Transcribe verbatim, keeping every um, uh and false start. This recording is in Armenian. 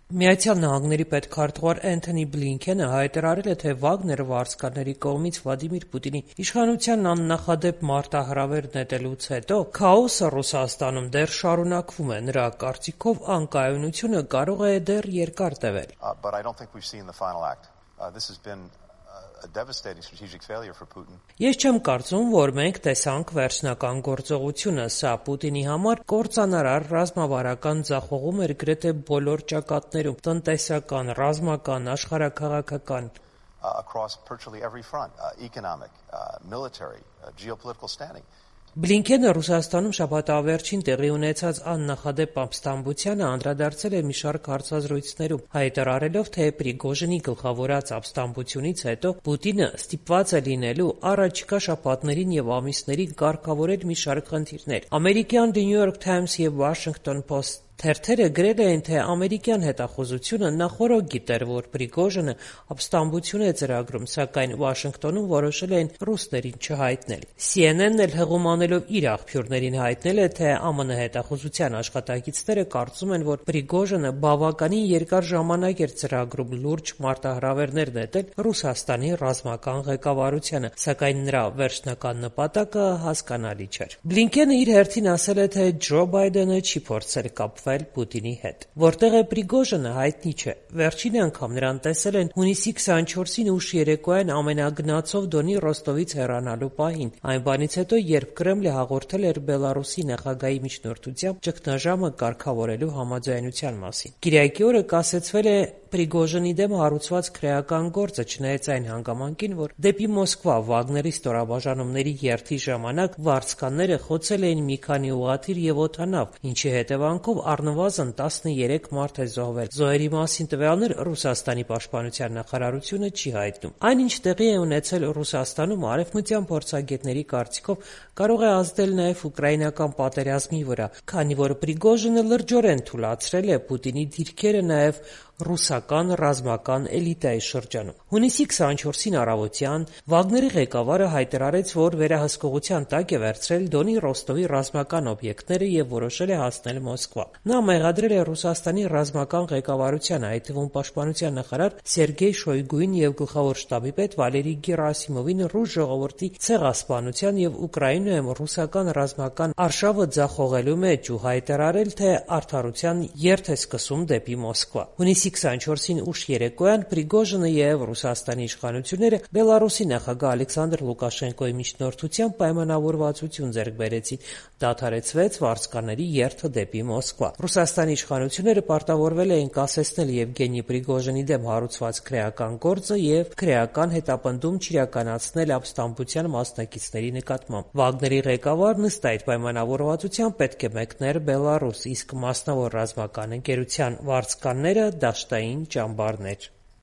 Միացյալ Նահանգների պետքարտուղար Էնթոնի Բլինքենը հայտարարել է, թե Վագները վարձկանների կողմից Վլադիմիր Պուտինի իշխանությանն աննախադեպ մարտահրավեր նետելուց հետո քաոսը Ռուսաստանում դեռ շարունակվում է։ Նրա կարծիքով անկայունությունը կարող է դեռ երկար տևել։ Ես չեմ կարծում, որ մենք տեսանք վերջնական գործողությունը։ Սա Պուտինի համար կործանարար ռազմավարական ձախողում էր գրեթե բոլոր ճակատներում՝ տնտեսական, ռազմական, աշխարհաքաղաքական։ Բլինքենը Ռուսաստանում շաբաթավերջին տեղի ունեցած աննախադեպ ապստամբությանը անդրադարձել է մի շարք հարցազրույցներում, հայտարարելով, թե Պրիգոժինի գլխավորած ապստամբությունից հետո Պուտինը ստիպված է լինելու առաջիկա շաբաթներին և ամիսներին կարգավորել մի շարք խնդիրներ։ Ամերիկյան The New York Times և Washington Post թերթերը գրել էին, թե ամերիկյան հետախուզությունը նախօրոք գիտեր, որ Պրիգոժինը ապստամբություն է ծրագրում, սակայն Վաշինգտոնում որոշել էին ռուսներին չհայտնել։ C N N-ն էլ հղում անելով իր աղբյուրներին հայտնել է, թե A M N հետախուզության աշխատակիցները կարծում են, որ Պրիգոժինը բավականին երկար ժամանակ էր ծրագրում լուրջ մարտահրավերներ նետել Ռուսաստանի ռազմական ղեկավարությանը, սակայն նրա վերջնական նպատակը հասկանալի չէր։ Բլինքենը իր հերթին ասել է, թե Ջո Բայդենը չի փորձել կապվել Պուտինի հետ։ Որտեղ է Պրիգոժինը, հայտնի չէ։ Վերջին անգամ նրան տեսել են հունիսի քսաներկուսին ուշ երեկոյան ամենագնացով Դոնի Ռոստովից հեռանալու պահին, այն բանից հետո, երբ Կրեմլը հաղորդել էր Բելարուսի նախագահի միջնորդությամբ ճգնաժամը կարգավորելու համաձայնության մասին։ Կիրակի օրը կասեցվել է Պրիգոժինի դեմ հարուցված քրեական գործը, չնայած այն հանգամանքին, որ դեպի Մոսկվա Վագների ստորաբաժանումների երթի ժամանակ վարձկանները խոցել էին մի քանի ուղղաթիռ և օդանավ, ինչի հետևանքով առնվազն տասներեք մարդ է զոհվել։ Զոհերի մասին տվյալներ Ռուսաստանի պաշտպանության նախարարությունը չի հայտնում։ Այն, ինչ տեղի է ունեցել Ռուսաստանում, արևմտյան փորձագետների կարծիքով կարող է ազդել նաև ուկրաինական պատերազմի վրա, քանի որ Պրիգոժինը լրջորեն թուլացրել է Պուտինի դիրքերը նաև ռուսական ռազմական էլիտայի շրջանում։ Հունիսի քսաներկուսին առավոտյան Վագների ղեկավարը հայտարարեց, որ վերահսկողության տակ է վերցրել Դոնի Ռոստովի ռազմական օբյեկտները և որոշել է հասնել Մոսկվա։ Նա մեղադրել է Ռուսաստանի ռազմական ղեկավարությանը, այդ թվում պաշտպանության նախարար Սերգեյ Շոյգուին և գլխավոր շտաբի պետ Վալերի Գերասիմովին ռուս ժողովրդի ցեղասպանության և Ուկրաինայում ռուսական ռազմական արշավը ձախողելու մեջ ու հայտարարել, թե արդարության երթ է սկսում դեպի Մոսկվա։ Հունիսի քսաներկուսին ուշ երեկոյան Պրիգոժինը և Ռուսաստանի իշխանությունները Բելարուսի նախագահ Ալեքսանդր Լուկաշենկոյի միջնորդությամբ պայմանավորվածություն ձեռք բերեցին, դադարեցվեց վարձկանների երթը դեպի Մոսկվա։ Ռուսաստանի իշխանությունները պարտավորվել էին կասեցնել Եվգենի Պրիգոժինի դեմ հարուցված քրեական գործը և քրեական հետապնդում չիրականացնել ապստամբության մասնակիցների նկատմամբ։ Վագների ղեկավարն ըստ այդ պայմանավորվածության պետք է մեկներ Բելարուս, իսկ մասնավոր ռազմական ընկերության վարձկանները՝ դաշտային ճամբարներ։